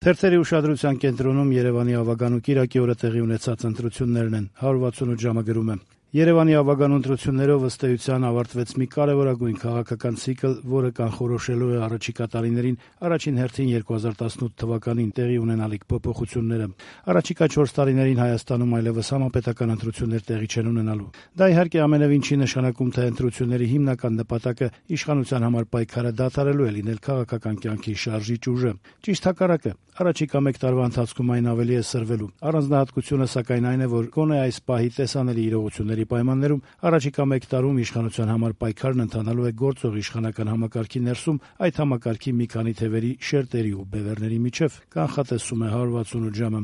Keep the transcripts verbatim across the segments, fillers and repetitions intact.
Թերթերի ուշադրության կենտրոնում Երևանի ավագան ու կիրակի օրը տեղի ունեցած ընտրություններն են, հարյուր վաթսունութ ժամը գրում է. Երևանի ավագան ընտրություններով ըստ էության ավարտվեց մի կարևորագույն քաղաքական ցիկլ, որը կանխորոշելու է առաջիկա տարիներին, առաջին հերթին երկու հազար տասնութ թվականին տեղի ունենալիք փոփոխությունները։ Առաջիկա չորս տարիներին Հայաստանում այլևս համապետական ընտրություններ տեղի չեն ունենալու։ Դա իհարկե ամենևին չի նշանակում, թե ընտրությունների հիմնական նպատակը իշխանության համար պայքարը դադարելու է լինել քաղաքական կյանքի շարժիչ ուժը։ Ճիշտ հակառակը, առաջիկա մեկ տարվա ընթացքում այն ավելի է սրվելու։ Առանձնահատկությունը սակայն այն է, որ գոնե այս պահի տեսանելի իրողությունների պայմաններում առաջիկա մեկ տարում իշխանության համար պայքարն ընթանալու է գործող իշխանական համակարգի ներսում, այդ համակարգի մի քանի թևերի, շերտերի ու բևեռների միջև, կանխատեսում է հարյուր վաթսունութ ժամը։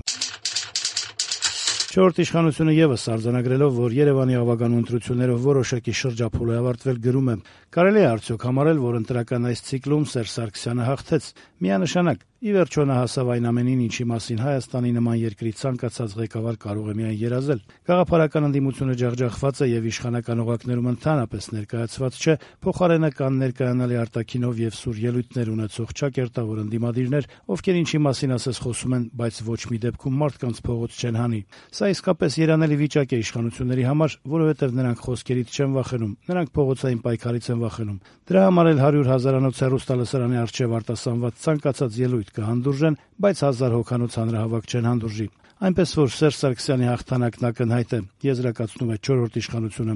Չորրորդ իշխանությունը ևս արձանագրելով, որ Երևանի ավագան ընտրություններով որոշակի շրջափուլ է ավարտվել, գրում է. «Կարելի է արդյոք համարել, որ ընտրական այս ցիկլում Սերժ Սարգսյանը հաղթեց։ Միանշանակ, ի վերջո նա հասավ այն ամենին, ինչի մասին Հայաստանի նման երկրի ցանկացած ղեկավար կարող է միայն երազել։ Գաղափարական ընդդիմությունը ջախջախված է եւ իշխանական օղակներում ընդհանրապես ներկայացված չէ, փոխարենը կան ներկայանալի արտաքինով եւ սուր ելույթներ ունեցող ճակերտավոր ընդդիմադիրներ, ովքեր ինչի մասին ասես խոսում են, բայց ոչ մի դեպքում մարդկանց փողոց չեն հանի։ Սա իսկապես երանելի վիճակ է իշխանությունների համար, որովհետեւ նրանք խոսքերից չեն վախենում, նրանք փողոցային պայքարից են վախենում։ Դրա համար էլ հարյուր հազարանոց հեռուստալսարանի առջև արտասանված ցանկացած ելույթ կհանդուրժեն, բայց հազար հոգանոց հանրահավաք չեն հանդուրժի։ Այնպես որ Սերժ Սարգսյանի հաղթանակն ակնհայտ է», եզրակացնում է չորրորդ իշխանությունը։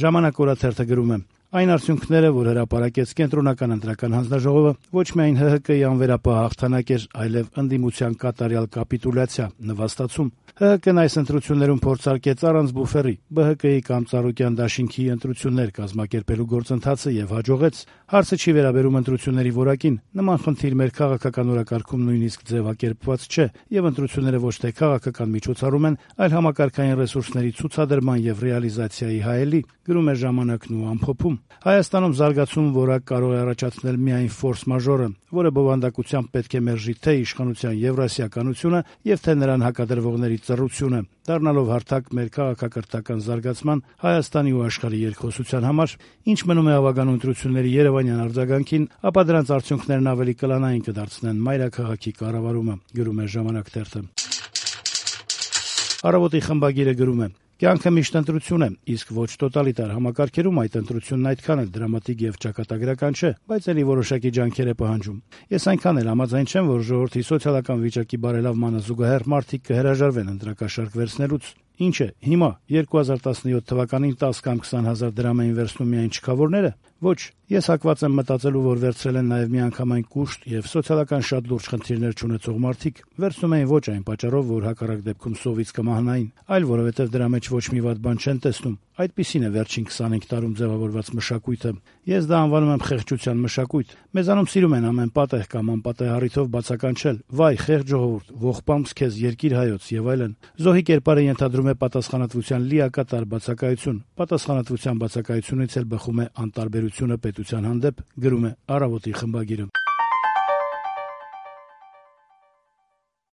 Ժամանակ օրաթերթը գրում է. «Այն արդյունքները, որ հրապարակեց կենտրոնական ընտրական հանձնաժողովը, ոչ միայն ՀՀԿ-ի անվերապահ հաղթանակ էր, այլև ընդդիմության կատարյալ կապիտուլյացիա, նվաստացում։ ՀՀԿ-ն այս ընտրություններում փորձարկեց առանց բուֆերի ԲՀԿ-ի կամ Ծառուկյան դաշինքի ընտրություններ կազմակերպելու գործընթացը եւ հաջողեց։ Հարցը չի վերաբերում ընտրությունների որակին, նման խնդիր մեր քաղաքական օրակարգում նույնիսկ ձևակերպված չէ, եւ ընտրությունները ոչ թե քաղաքական միջոցառում են, այլ համակարգային ռեսուրսների ցուցադրման եւ ռեալիզացիայի հայելի», գրում է Ժամանակն ու ամփոփում։ Հայաստանում զարգացում որակ կարող է առաջացնել միայն ֆորս մաժորը, որը բովանդակությամբ պետք է մերժի թե իշխանության եվրասիականությունը եւ թե նրան հակադրվողների ծռությունը, դառնալով հարթակ մեր քաղաքակրթական զարգացման, Հայաստանի ու աշխարհի երկխոսության համար։ Ինչ մնում է ավագան ընտրությունների երևանյան արձագանքին, ապա դրանց արդյունքներն ավելի կլանային կդարձնեն մայրաքաղաքի կառավարումը, գրում է Ժամանակ թերթը։ Առավոտի խմբագիրը գրում է. «Կյանքը միշտ ընտրություն է, իսկ ոչ տոտալիտար համակարգերում այդ ընտրությունն այդքան էլ դրամատիկ եւ ճակատագրական չէ, բայց ելի որոշակի ջանքեր է պահանջում։ Ես այնքան էլ համաձայն չեմ, որ ժողովրդի սոցիալական վիճակի բարելավմանը զուգահեռ մարդիկ կհրաժարվեն ընտրակաշառք վերցնելուց։ Ինչ է, հիմա երկու հազար տասնյոթ թվականին տասը կամ քսան հազար դրամ էին վերցնում միայն չքավորները։ Ոչ, ես հակված եմ մտածելու, որ վերցրել են նաև միանգամայն կուշտ եւ սոցիալական շատ լուրջ խնդիրներ չունեցող մարդիկ։ Վերցնում էին ոչ այն պատճառով, որ հակառակ դեպքում սովից կմահանային, այլ որովհետեւ դրա մեջ ոչ մի վատ բան չեն տեսնում։ Այդպիսին է վերջին քսանհինգ տարում ձևավորված մշակույթը։ Ես դա անվանում եմ խեղճության մշակույթ։ Մեզանում սիրում են ամեն պատեհ կամ անպատեհ առիթով բացականչել. «Վայ, խեղճ ժողովուրդ, ողբամս քեզ, երկիր հայոց» եւ այլն։ Զոհի կերպարը ենթադրում է պատասխանատվության լիակատար բացակայություն։ Պատասխանատվության բացակայությունից էլ բխում է անտարբերությունը պետության հանդեպ, գրում է Առավոտի խմբագիրը։